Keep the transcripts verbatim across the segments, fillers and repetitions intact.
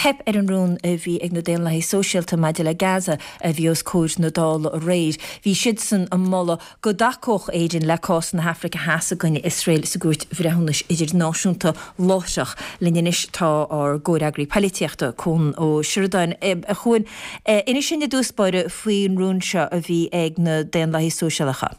Theip ar an rún a bhí ag na Daonlathaithe Sóisialta maidir le Gaza a bhí os comhair na Dála aréir. Bhí siadsan ag moladh go dtacódh Éirinn le cás na hAfraice Theas i gcoinne Iosrael sa gCúirt Bhreithiúnais Idirnáisiúnta láithreach. Linn anois tá ár gcomhfhreagraí polaitíochta Cuan Ó Seireadáin. A Chuain, inis dúinn i dtús báire faoin rún seo a bhí ag na Daonlathaithe Sóisialacha.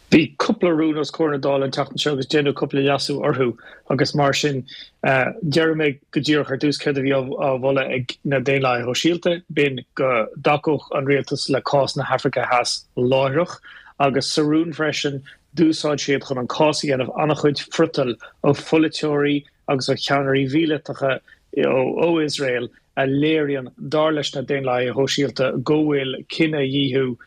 Bhí cúpla rún os comhair na Dála an tseachtain seo agus déanadh cúpla leasú orthu agus mar sin déarfaidh mé go díreach ar dtús céard a bhí á mholadh ag na Daonlathaithe Shóisialta, b'in go dtacódh an rialtas le cás na hAfraice Theas láithreach agus sa rún freisin d'úsáid siad chun an cás a dhéanamh an-chuid friotail ó pholaiteoirí agus ó cheannairí míleatacha ó Iosrael a léiríonn, dar leis na Daonlathaithe Shóisialta, go bhfuil cinedhíothú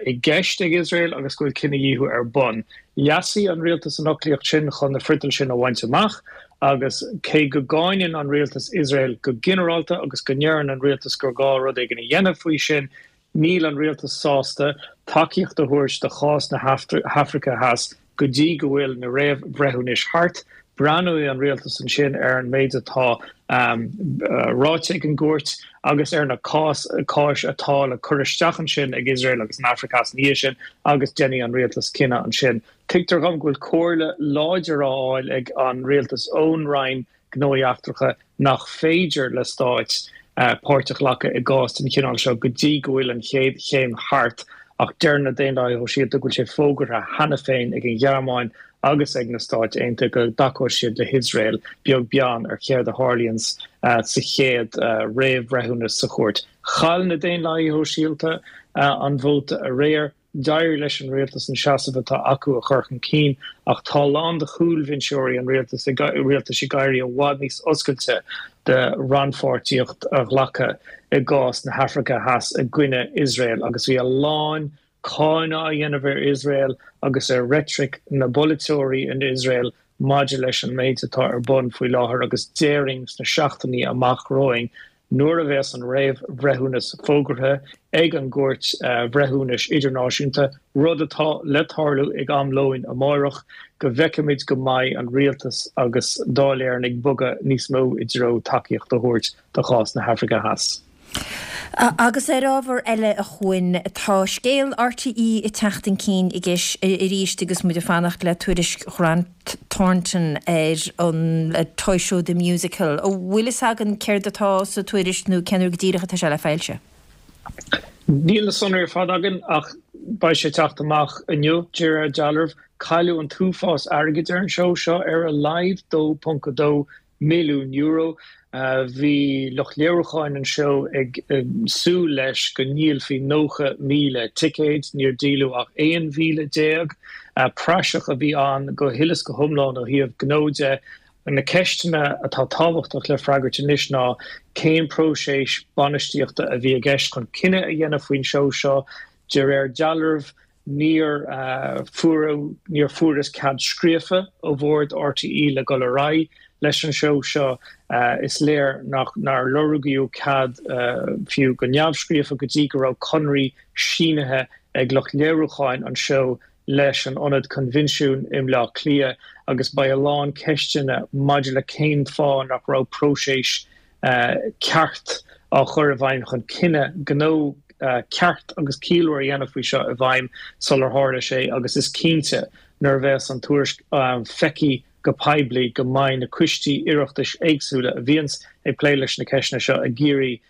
i gceist ag Iosrael agus go bhfuil cinedhíothú ar bun. Leasaigh an rialtas an fhoclaíocht sin chun na friotail sin a bhaint amach agus cé go gcáineann an rialtas Iosrael go ginearálta agus go ndeireann an rialtas gur gá rud éigin a dhéanamh faoi sin, Níl an rialtas sásta tacaíocht a thabhairt do chás na hAfraice Theas go dtí go bhfuil na réamhbhreithiúnais thart. Breathnóidh an rialtas ansin ar an méid atá ráite ag an gcúirt agus ar na cáis atá le cur isteach ansin ag Iosrael agus an Afraic Theas ina dhiaidh sin agus déanfaidh an rialtas cinneadh ansin. Tuigtear dhom go bhfuil comhairle láidir á fháil ag an rialtas ón Roinn Gnóthaí Eachtracha nach féidir le stáit páirt a ghlacadh i gcás den chineál seo go dtí go bhfuil an chéad chéim thart ach deir na Daonlathaithe Shóisialta go bhfuil sé fógartha cheana féin ag an Ghearmáin agus ag na Stáit Aontaithe go dtacóidh siad le hIosrael beag beann ar chéard a tharlaíonn sa chéad réamhbhreithiúnas sa chúirt. Chaill na Daonlathaithe Shóisialta an vóta aréir. D'éirigh leis an rialtas an seasamh atá acu a chur chun cinn ach tá a lán de chúlbhinseoirí an rialtais ag éirí i bhfad níos oscailte do rannpháirtíocht a ghlacadh i gcás na hAfraice Theas i gcoinne Iosrael agus bhí a lán cáineadh á dhéanamh ar Iosrael agus ar reitric na bpolaiteoirí in Iosrael maidir leis an méid atá ar bun faoi láthair agus déarfainn sna seachtainí amach romhainn Nuair a bheas an réamhbhreithiúnas fógartha ag an gCúirt Bhreithiúnais Idirnáisiúnta, rud atá le tarlú ag am lóin amárach, go bhfeicfimid go mbeidh an rialtas agus Dáil Éireann ag bogadh níos mó i dtreo tacaíocht a thabhairt do chás na hAfraice Theas. Agus ar ábhar eile a Chuain, tá scéal RTÉ ag teacht chun cinn arís agus muid ag fanacht le tuairisc Ghrant Thornton ar an Toy Show The Musical. An bhfuil fhios againn céard atá sa tuairisc nó cén uair go díreach atá sé le foilsiú? Níl na sonraí ar fad againn ach beidh sé ag teacht amach inniu, de réir dealraimh. Cailleadh an t-uafás airgid ar an seó seo, ar a laghad dó ponc a dó milliún euro. Bhí lucht léiriúcháin an seó ag súil leis go ndíolfaí nócha míle ticéad, níor díoladh ach aon mhíle déag. Praiseach a bhí ann go huile is go hiomlán ó thaobh gnó de. Na ceisteanna atá tábhachtach le freagairt anois ná cén próiseas bainistíochta a bhí i gceist chun cinneadh a dhéanamh faoin seó seo. De réir dealraimh, Níor fuaireadh, níor fuarthas cead scríofa ó bhord RTÉ le dul ar aghaidh leis an seó seo. Is léir nach, nár lorgaíodh cead fiú go neamhscríofa go dtí go raibh conraí sínithe ag lucht léiriúcháin an seó leis an Ionad Coinbhinsiún i mBleá Cliath agus beidh a lán ceisteanna maidir le cén fáth nach raibh próiseas ceart á chur i bhfeidhm chun cinneadh gnó ceart agus ciallmhar a dhéanamh faoi seo i bhfeidhm sular tharla sé agus is cinnte nuair a bheas an tuairisc feicthe go poiblí go mbeidh na coistí Oireachtais éagsúla a bhíonns ag plé leis na ceisteanna seo ag iarraidh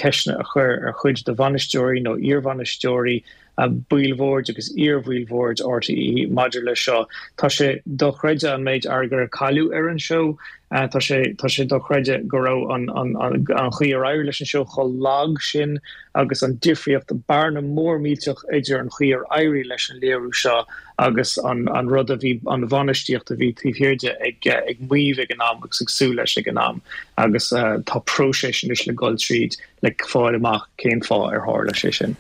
ceisteanna a chur ar chuid de bhainisteoirí nó iarbhainisteoirí, baill bhoird agus iarbhaill bhoird RTÉ maidir leis seo. Tá sé dochreidte an méid airgid a cailleadh ar an seó. Tá sé tá sé dochreidte go raibh an an an chaoi ar éirigh leis an seó chomh lag sin agus an difríocht, bearna mór millteach idir an chaoi ar éirigh leis an léiriú seo agus an an rud a bhí, an bhainistíocht a bhí taobh thiar de ag ag maíomh ag an am agus ag súil leis ag an am agus tá próiseas anois le dul tríd le fáil amach cén fáth ar tharla sé sin.